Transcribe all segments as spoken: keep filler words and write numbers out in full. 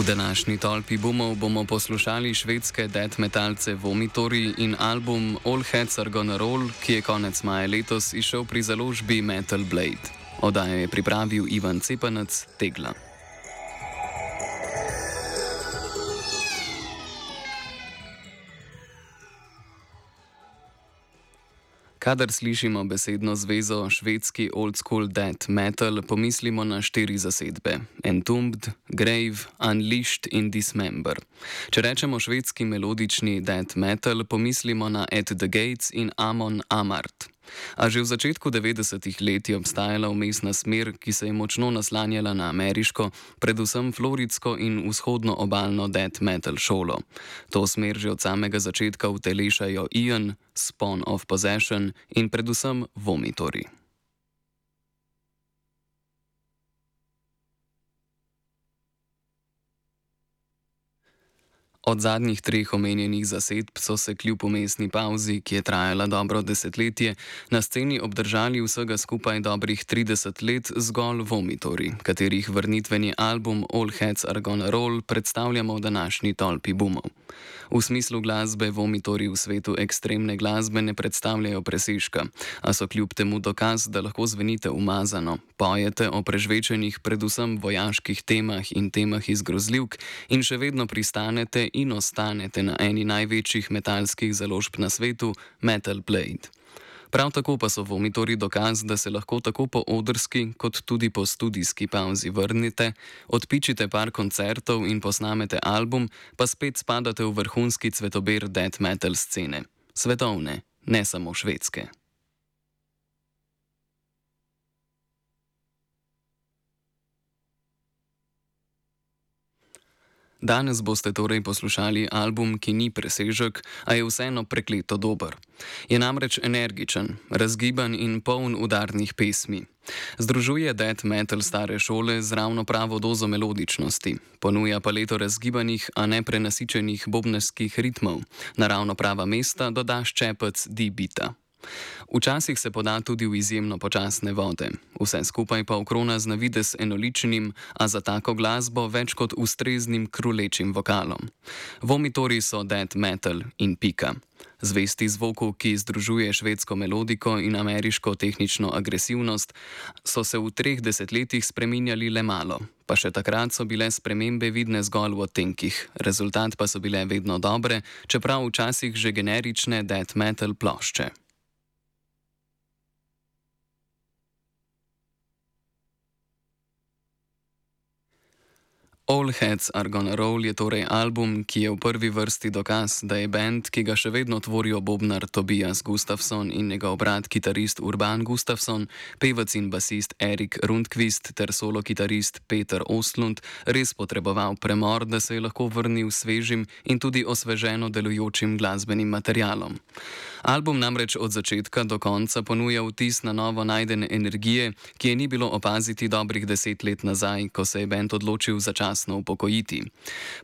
današnji tolpi bumov bomo poslušali švedske death metalce Vomitory in album All Heads Are Gonna Roll, ki je konec maja letos izšel pri založbi Metal Blade. Oddajo je pripravil Ivan Cepanec, Tegla. Kadar slišimo besedno zvezo švedski old school death metal, pomislimo na štiri zasedbe: Entombed, Grave, Unleashed in Dismember. Če rečemo švedski melodični death metal, pomislimo na At the Gates in Amon Amarth. A že v začetku devetdesetih let je obstajala vmesna smer, ki se je močno naslanjala na ameriško, predvsem floridsko in vzhodno obalno death metal šolo. To smer že od samega začetka utelešajo Ian, Spawn of Possession in predvsem Vomitory. Od zadnjih treh omenjenih zasedb so se kljub vmesni pavzi, ki je trajala dobro desetletje, na sceni obdržali vsega skupaj dobrih trideset let zgolj Vomitory, katerih vrnitveni album All Heads Are Gonna Roll predstavljamo v današnji tolpi bumov. V smislu glasbe Vomitory v svetu ekstremne glasbe ne predstavljajo presežka, a so kljub temu dokaz, da lahko zvenite umazano, pojete o prežvečenih predvsem vojaških temah in temah iz grozljivk in še vedno pristanete in ostanete na eni največjih metalskih založb na svetu, Metal Blade. Prav tako pa so Vomitory dokaz, da se lahko tako po odrski kot tudi po studijski pavzi vrnete, odpičite par koncertov in posnamete album, pa spet spadate v vrhunski cvetober death metal scene. Svetovne, ne samo švedske. Danes boste torej poslušali album, ki ni presežek, a je vseeno prekleto dober. Je namreč energičen, razgiban in poln udarnih pesmi. Združuje death metal stare šole z ravno pravo dozo melodičnosti, ponuja paleto razgibanih, a ne prenasičenih bobnarskih ritmov, na ravno prava mesta doda ščepec D-beata. Včasih se poda tudi v izjemno počasne vode, vse skupaj pa okrona z navidez enoličnim, a za tako glasbo več kot ustreznim krulečim vokalom. Vomitory so death metal in pika. Zvesti zvoku, ki združuje švedsko melodiko in ameriško tehnično agresivnost, so se v treh desetletjih spreminjali le malo, pa še takrat so bile spremembe vidne zgolj v odtenkih, rezultat pa so bile vedno dobre, čeprav včasih že generične death metal plošče. All Heads Are Gonna Roll je torej album, ki je v prvi vrsti dokaz, da je band, ki ga še vedno tvorijo bobnar Tobias Gustafsson in njegov brat kitarist Urban Gustafsson, pevec in basist Erik Rundqvist ter solo kitarist Peter Ostlund, res potreboval premor, da se je lahko vrnil svežim in tudi osveženo delujočim glasbenim materialom. Album namreč od začetka do konca ponuja vtis na novo najdene energije, ki je ni bilo opaziti dobrih deset let nazaj, ko se je band odločil začasno upokojiti.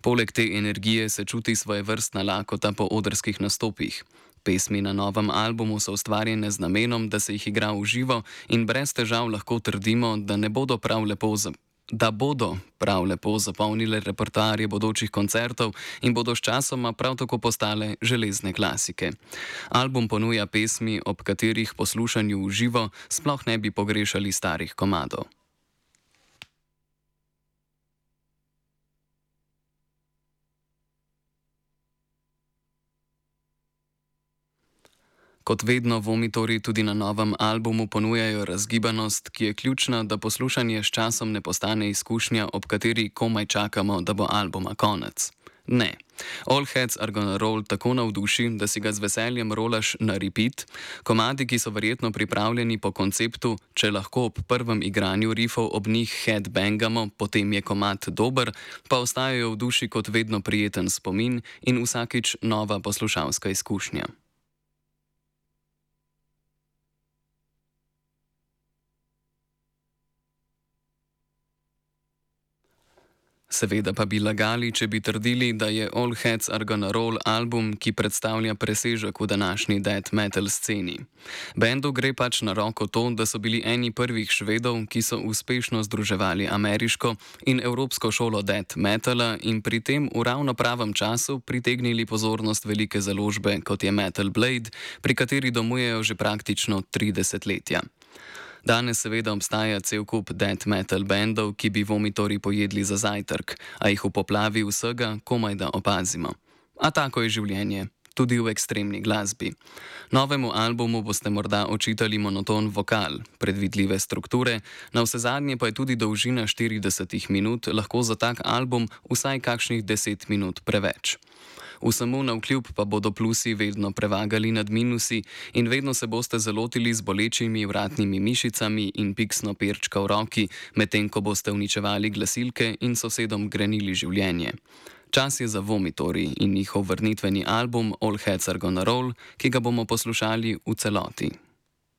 Poleg te energije se čuti svojevrstna lakota po odrskih nastopih. Pesmi na novem albumu so ustvarjene z namenom, da se jih igra v živo in brez težav lahko trdimo, da ne bodo prav lepo za da bodo prav lepo zapolnile repertoarje bodočih koncertov in bodo sčasoma prav tako postale železne klasike. Album ponuja pesmi, ob katerih poslušanju v živo sploh ne bi pogrešali starih komadov. Kot vedno Vomitory tudi na novem albumu ponujajo razgibanost, ki je ključna, da poslušanje s časom ne postane izkušnja, ob kateri komaj čakamo, da bo albuma konec. Ne. All Heads Are Gonna Roll tako navduši, da si ga z veseljem rolaš na repeat, komadi, ki so verjetno pripravljeni po konceptu, če lahko ob prvem igranju riffov ob njih headbangamo, potem je komad dober, pa ostajajo v duši kot vedno prijeten spomin in vsakič nova poslušalska izkušnja. Seveda pa bi lagali, če bi trdili, da je All Heads Are Gonna Roll album, ki predstavlja presežek v današnji death metal sceni. Bendu gre pač na roko to, da so bili eni prvih Švedov, ki so uspešno združevali ameriško in evropsko šolo death metala in pri tem v ravno pravem času pritegnili pozornost velike založbe, kot je Metal Blade, pri kateri domujejo že praktično tri desetletja. Danes seveda obstaja cel kup death metal bendov, ki bi vomitorji pojedli za zajtrk, a jih v poplavi vsega komaj da opazimo. A tako je življenje, tudi v ekstremni glasbi. Novemu albumu boste morda očitali monoton vokal, predvidljive strukture, navsezadnje pa je tudi dolžina štirideset minut lahko za tak album vsaj kakšnih deset minut preveč. Vsemu navkljub pa bodo plusi vedno prevagali nad minusi in vedno se boste zalotili z bolečimi vratnimi mišicami in piksno perčka v roki, medtem ko boste uničevali glasilke in sosedom grenili življenje. Čas je za Vomitorji in njihov vrnitveni album All Heads Are Gonna Roll, ki ga bomo poslušali v celoti.